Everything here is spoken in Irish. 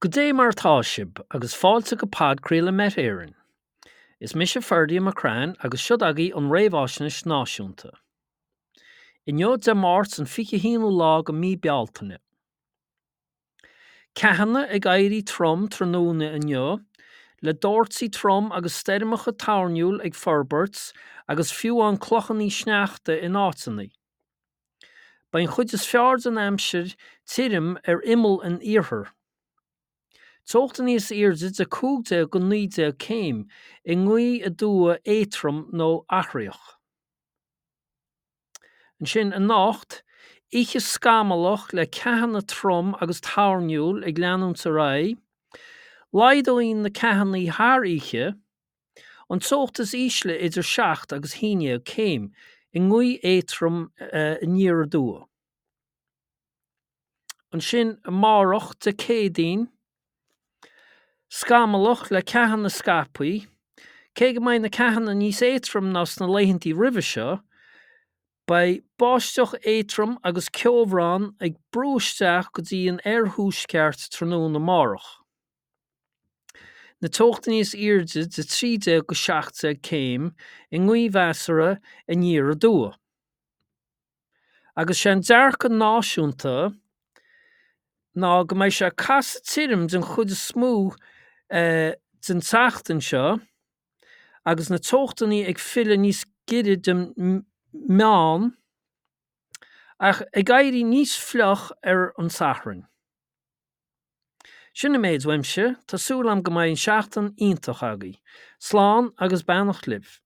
Goidé mar atá sibh, agus fáilte go podchraoladh Met Éireann. Is mise Ferdia McCrann agus seod agaibh an Réamhaisnéis Náisiúnta. Inniu Dé Máirt an 21ú lá go mí Bealtaine. Ceathanna ag éirí trom tráthnóna inniu, le doirtí trom agus stoirmeacha toirniúil ag forbairt agus fiú amháin clochannaí sneachta in áiteannaí. Beidh an chuid is fearr den aimsir tirim ar imeall an iarthair. Teochta níos airde de 15 go 19 céim i ngaoth aduaidh éadtrom nó athraitheach. Ansin anocht, oíche scamallach le ceathanna trom agus toirniúil ag leanúint ar aghaidh. Laghdóidh na ceathannaí thar oíche. An teocht is ísle idir 7 agus 11 céim, i ngaoth éadtrom aniar aduaidh. Ansin amárach, Dé Céadaoin, scamallach le ceathanna scaipthe, cé go mbeidh na ceathanna níos éadtroime ná sna laethantaí roimhe seo, beidh báisteach éadtrom agus ceobhrán ag brú isteach go dtí an oirthuaisceart tráthnóna amárach. Na teochtaí níos airde de 13 go 17 céim i ngaoth mheasartha aniar aduaidh. Agus sé an dearcadh náisiúnta ná go mbeidh sé ag casadh tirim den chuid is mó den tseachtain seo agus na teochtannaí ag filleadh níos giorra don meán ach ag éirí níos fliuch ar an Satharn. Sin an méid uaimse, tá súil agam go mbeidh an seachtain iontach agaibh. Slán agus beannacht libh.